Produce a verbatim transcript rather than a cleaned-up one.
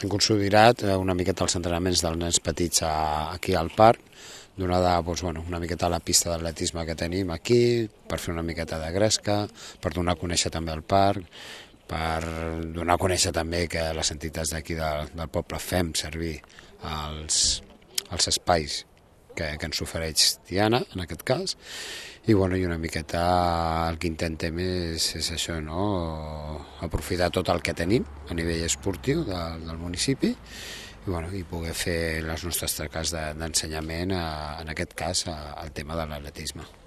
hem consolidat una miqueta els entrenaments dels nens petits aquí al parc, donada doncs, bueno, una miqueta a la pista d'atletisme que tenim aquí, per fer una miqueta de gresca, per donar a conèixer també el parc, per donar a conèixer també que les entitats d'aquí del, del poble fem servir els, els espais que, que ens ofereix Tiana, en aquest cas, i, bueno, i una miqueta el que intentem és, és això, no? Aprofitar tot el que tenim a nivell esportiu de, del municipi i, bueno, i poder fer les nostres tasques d'ensenyament, en aquest cas, al tema de l'atletisme.